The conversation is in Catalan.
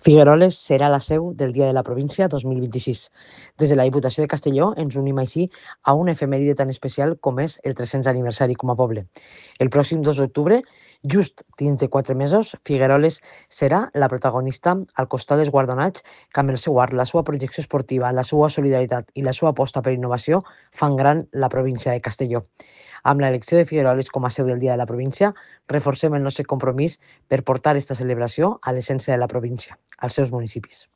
Figueroles serà la seu del Dia de la Província 2026. Des de la Diputació de Castelló ens unim així a una efemèride tan especial com és el 300 aniversari com a poble. El pròxim 2 d'octubre, just dins de 4 mesos, Figueroles serà la protagonista al costat dels guardonats que amb el seu art, la seva projecció esportiva, la seva solidaritat i la seva aposta per innovació fan gran la província de Castelló. Amb l'elecció de Figueroles com a seu del Dia de la Província, reforcem el nostre compromís per portar aquesta celebració a l'essència de la província, als seus municipis.